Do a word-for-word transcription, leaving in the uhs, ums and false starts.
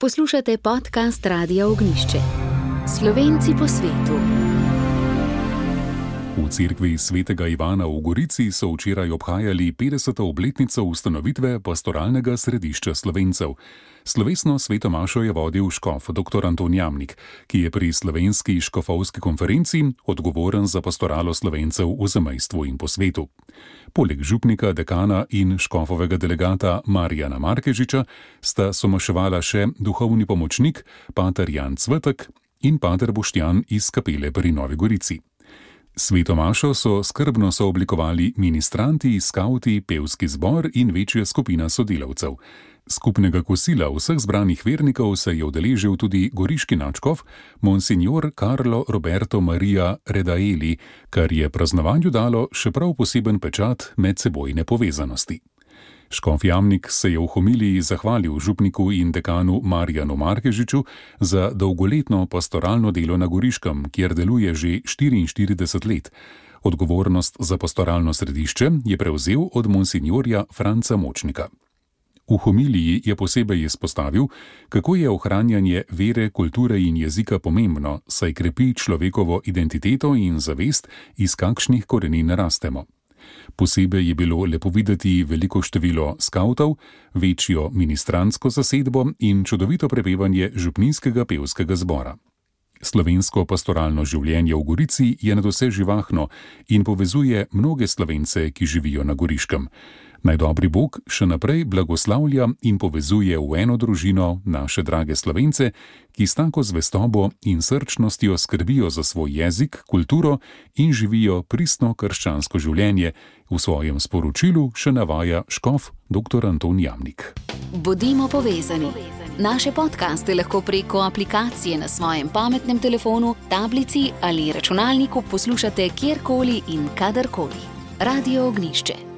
Poslušate podcast Radia Ognjišče. Slovenci po svetu. V cerkvi svetega Ivana v Gorici so včeraj obhajali petdeseto obletnico ustanovitve pastoralnega središča Slovencev. Slovesno sveto mašo je vodil škof dr. Anton Jamnik, ki je pri slovenski škofovski konferenci odgovoren za pastoralo Slovencev v zamejstvu in po svetu. Poleg župnika, dekana in škofovega delegata Marijana Markežiča sta somaševala še duhovni pomočnik, pater Jan Cvetek in pater Boštjan iz kapele pri Novi Gorici. Sveto mašo so skrbno sooblikovali ministranti, skavti, pevski zbor in večja skupina sodelavcev. Skupnega kosila vseh zbranih vernikov se je udeležil tudi goriški nadškof monsignor Carlo Roberto Maria Redaeli, kar je praznovanju dalo še prav poseben pečat medsebojne povezanosti. Škof Jamnik se je v homiliji zahvalil župniku in dekanu Marijanu Markežiču za dolgoletno pastoralno delo na Goriškem, kjer deluje že štiriinštirideset let. Odgovornost za pastoralno središče je prevzel od monsinjorja Franca Močnika. V homiliji je posebej izpostavil, kako je ohranjanje vere, kulture in jezika pomembno, saj krepi človekovo identiteto in zavest, iz kakšnih korenin rastemo. Posebej je bilo lepo videti veliko število skavtov, večjo ministrantsko zasedbo in čudovito prepevanje župninskega pevskega zbora. Slovensko pastoralno življenje v Gorici je nadvse živahno in povezuje mnoge Slovence, ki živijo na Goriškem. Naj dobri Bog še naprej blagoslavlja in povezuje v eno družino naše drage Slovence, ki s tako zvestobo in srčnostjo skrbijo za svoj jezik, kulturo in živijo pristno krščansko življenje, v svojem sporočilu še navaja škof dr. Anton Jamnik. Bodimo povezani. Naše podcaste lahko preko aplikacije na svojem pametnem telefonu, tablici ali računalniku poslušate kjerkoli in kadarkoli. Radio Ognjišče.